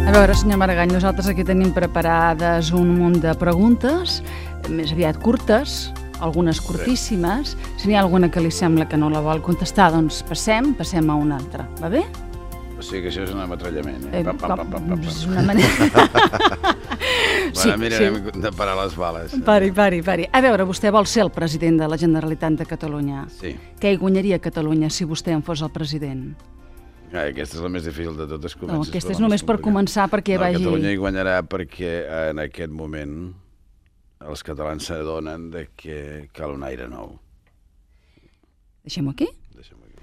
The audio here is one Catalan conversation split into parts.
A veure, senyor Maragall, nosaltres aquí tenim preparades un munt de preguntes, més aviat curtes, algunes curtíssimes. Si n'hi ha alguna que li sembla que no la vol contestar, doncs passem a una altra. Va bé? O sigui que això és un ametrallament, eh? És una manera... Bueno, mirarem de parar les bales. Pari. A veure, vostè vol ser el president de la Generalitat de Catalunya. Sí. Què hi guanyaria Catalunya si vostè en fos el president? Aquesta és la més difícil de totes. No, aquesta és només per començar perquè vagi... Catalunya hi guanyarà perquè en aquest moment els catalans s'adonen que cal un aire nou. Deixem-ho aquí?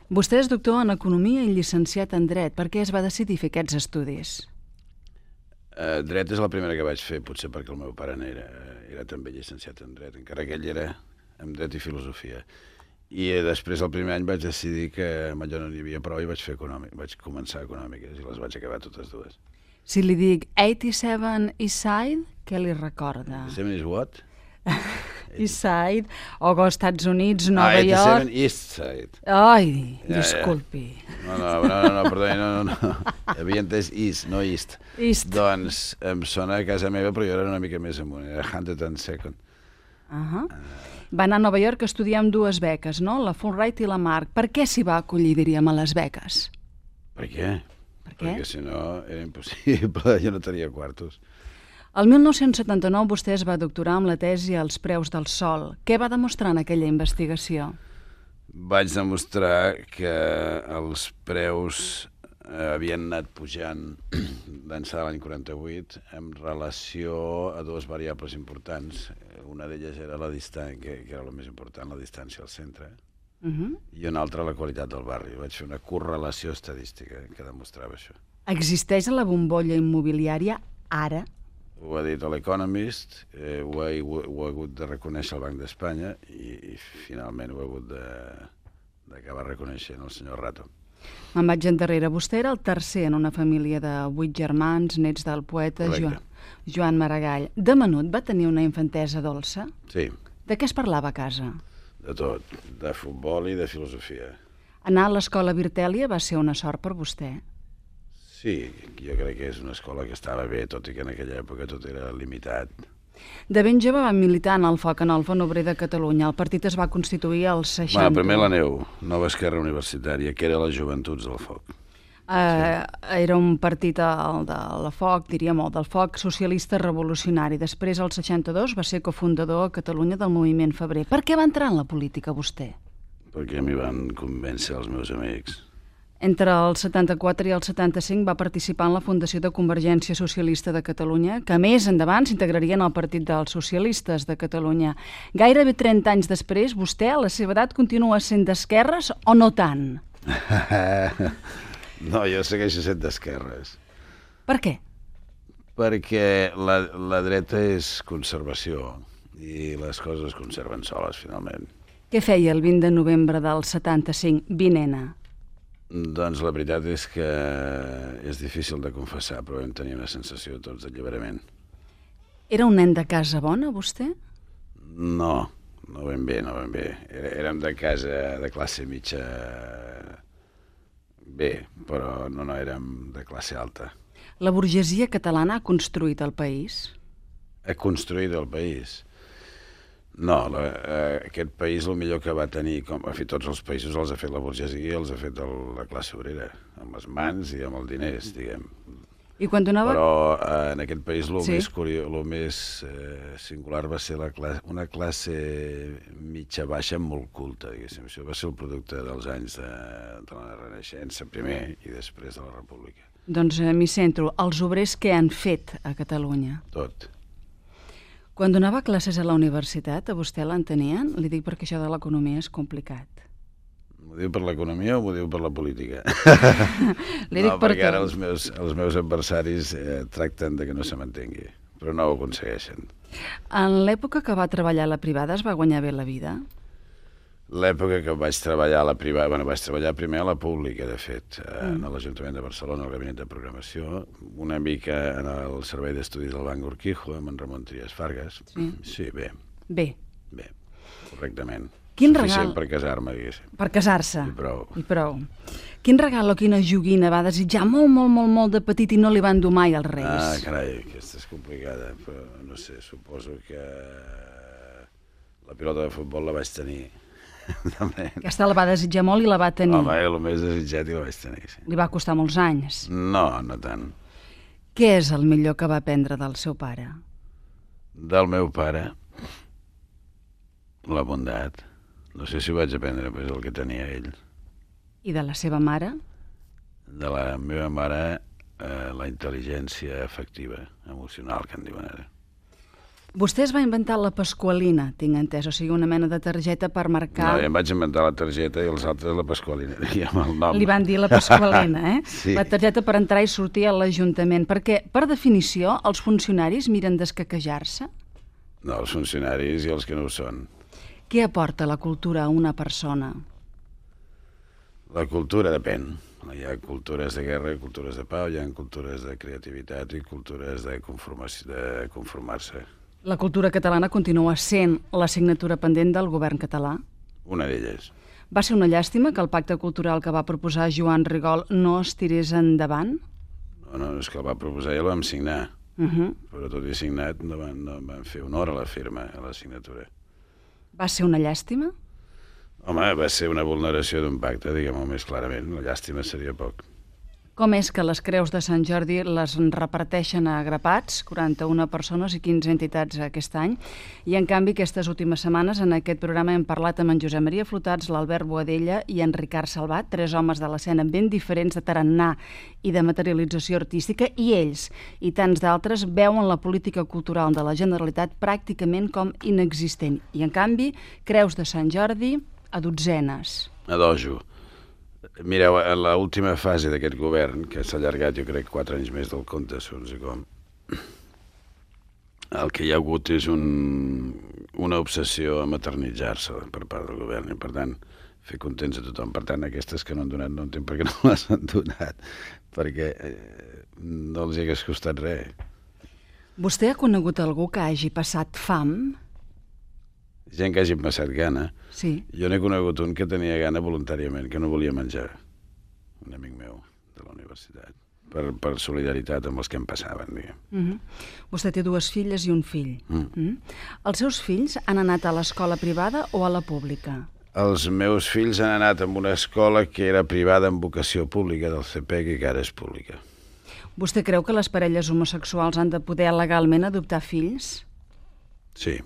Vostè és doctor en Economia i llicenciat en Dret. Per què es va decidir fer aquests estudis? Dret és la primera que vaig fer, potser perquè el meu pare era també llicenciat en Dret, encara que ell era en Dret i Filosofia. I després, el primer any, vaig decidir que amb allò no n'hi havia prou i vaig començar Econòmiques i les vaig acabar totes dues. Si li dic 87 East Side, què li recorda? 87 is what? East Side, o Estats Units, Nova York... 87 East Side. Ai, disculpi. No, perdoni, no. Havia entès East, no East. Doncs em sona a casa meva, però jo era una mica més amunt, era 102nd. Va anar a Nova York a estudiar amb dues beques, no? La Fulbright i la Marc. Per què s'hi va acollir, diríem, a les beques? Per què? Perquè si no era impossible, jo no tenia quartos. El 1979 vostè es va doctorar amb la tesi Els preus del sol. Què va demostrar en aquella investigació? Vaig demostrar que els preus havien anat pujant d'ençà de l'any 48 en relació a dues variables importants. Una d'elles era la distància, que era la més important, la distància al centre, i una altra la qualitat del barri. Vaig fer una correlació estadística que demostrava això. Existeix la bombolla immobiliària ara? Ho ha dit l'Economist, ho ha hagut de reconèixer el Banc d'Espanya i finalment ho ha hagut d'acabar reconeixent el senyor Rato. Me'n vaig endarrere. Vostè era el tercer en una família de 8 germans, nets del poeta Joan Maragall. De menut va tenir una infantesa dolça? Sí. De què es parlava a casa? De tot, de futbol i de filosofia. Anar a l'escola Virtèlia va ser una sort per vostè? Sí, jo crec que és una escola que estava bé, tot i que en aquella època tot era limitat. De ben jove va militar en el FOC, en el Front Obrer de Catalunya. El partit es va constituir als 60. Bueno, primer la NEU, Nova Esquerra Universitària, que era les joventuts del FOC. Era un partit de la FOC, diríem, del FOC socialista revolucionari. Després, al 62, va ser cofundador a Catalunya del moviment Febrer. Per què va entrar en la política, vostè? Perquè m'hi van convèncer els meus amics. Entre el 74 i el 75 va participar en la fundació de Convergència Socialista de Catalunya, que més endavant s'integraria en el Partit dels Socialistes de Catalunya. Gairebé 30 anys després, vostè, a la seva edat, continua sent d'esquerres o no tant? No, jo segueixo sent d'esquerres. Per què? Perquè la dreta és conservació i les coses es conserven soles, finalment. Què feia el 20 de novembre del 75, Vinena? Doncs la veritat és que és difícil de confessar, però vam tenir una sensació tots d'alliberament. Era un nen de casa bona, vostè? No ben bé. Érem de casa de classe mitja bé, però no érem de classe alta. La burgesia catalana ha construït el país? Ha construït el país? No, aquest país el millor que va tenir, com ha fet tots els països, els ha fet la burgesia i els ha fet la classe obrera, amb les mans i amb els diners, diguem. I quan donava... Però en aquest país el més singular va ser una classe mitja-baixa molt culta, diguéssim. Això va ser el producte dels anys de la Renaixença, primer, i després de la República. Doncs m'hi centro. Els obrers què han fet a Catalunya? Tot. Quan donava classes a la universitat, a vostè l'entenien? Li dic perquè això de l'economia és complicat. M'ho diu per l'economia o m'ho diu per la política? No, perquè ara els meus adversaris tracten de que no se m'entengui, però no ho aconsegueixen. En l'època que va treballar a la privada es va guanyar bé la vida? L'època que vaig treballar a la privada... Bueno, vaig treballar primer a la pública, de fet, a l'Ajuntament de Barcelona, al Gabinet de Programació, una mica en el Servei d'Estudis del Banc Urquijo, amb en Ramon Trias Fargas. Sí, bé. Bé. Bé, correctament. Suficient per casar-me, diguéssim. Per casar-se. I prou. Quin regal o quina joguina va desitjar molt de petit i no li van dur mai als Reis? Ah, carai, aquesta és complicada, però no sé, suposo que la pilota de futbol la vaig tenir. Aquesta la va desitjar molt i la va tenir. Home, el més desitjat i la vaig tenir, sí. Li va costar molts anys. No, no tant. Què és el millor que va aprendre del seu pare? Del meu pare, la bondat. No sé si ho vaig aprendre, però és el que tenia ell. I de la seva mare? De la meva mare, la intel·ligència afectiva, emocional, que en diuen ara. Vostè es va inventar la Pasqualina, tinc entès, o sigui, una mena de targeta per marcar... No, ja em vaig inventar la targeta i els altres la Pasqualina, diguem el nom. Li van dir la Pasqualina, Sí. La targeta per entrar i sortir a l'Ajuntament, perquè, per definició, els funcionaris miren d'escaquejar-se? No, els funcionaris i els que no ho són. Què aporta la cultura a una persona? La cultura depèn. Hi ha cultures de guerra i cultures de pau, hi ha cultures de creativitat i cultures de conformar-se. La cultura catalana continua sent l'assignatura pendent del govern català? Una d'elles. Va ser una llàstima que el pacte cultural que va proposar Joan Rigol no es tirés endavant? No, és que el va proposar i el vam signar. Però tot i signat no van fer honor a la firma, a la signatura. Va ser una llàstima? Home, va ser una vulneració d'un pacte, diguem-ho més clarament. La llàstima seria poc. Com és que les creus de Sant Jordi les reparteixen a grapats, 41 persones i 15 entitats aquest any, i en canvi aquestes últimes setmanes en aquest programa hem parlat amb en Josep Maria Flotats, l'Albert Boadella i en Ricard Salvat, 3 homes de l'escena ben diferents de tarannà i de materialització artística, i ells i tants d'altres veuen la política cultural de la Generalitat pràcticament com inexistent. I en canvi, creus de Sant Jordi a dotzenes. A dojo. Mireu, en l'última fase d'aquest govern, que s'ha allargat jo crec 4 anys més del compte, segons com, el que hi ha hagut és una obsessió a maternitzar-se per part del govern i per tant fer contents a tothom. Per tant, aquestes que no han donat no entenc per què no les han donat, perquè no els hagués costat res. Vostè ha conegut algú que hagi passat fam? Gent que hagi passat gana. Sí. Jo n'he conegut un que tenia gana voluntàriament, que no volia menjar. Un amic meu de la universitat. Per solidaritat amb els que em passaven, diguem. Vostè té 2 filles i un fill. Els seus fills han anat a l'escola privada o a la pública? Els meus fills han anat a una escola que era privada amb vocació pública del CPEC i que ara és pública. Vostè creu que les parelles homosexuals han de poder legalment adoptar fills? Sí.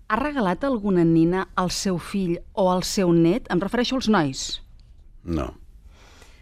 Ha regalat alguna nina al seu fill o al seu net? Em refereixo als nois. No.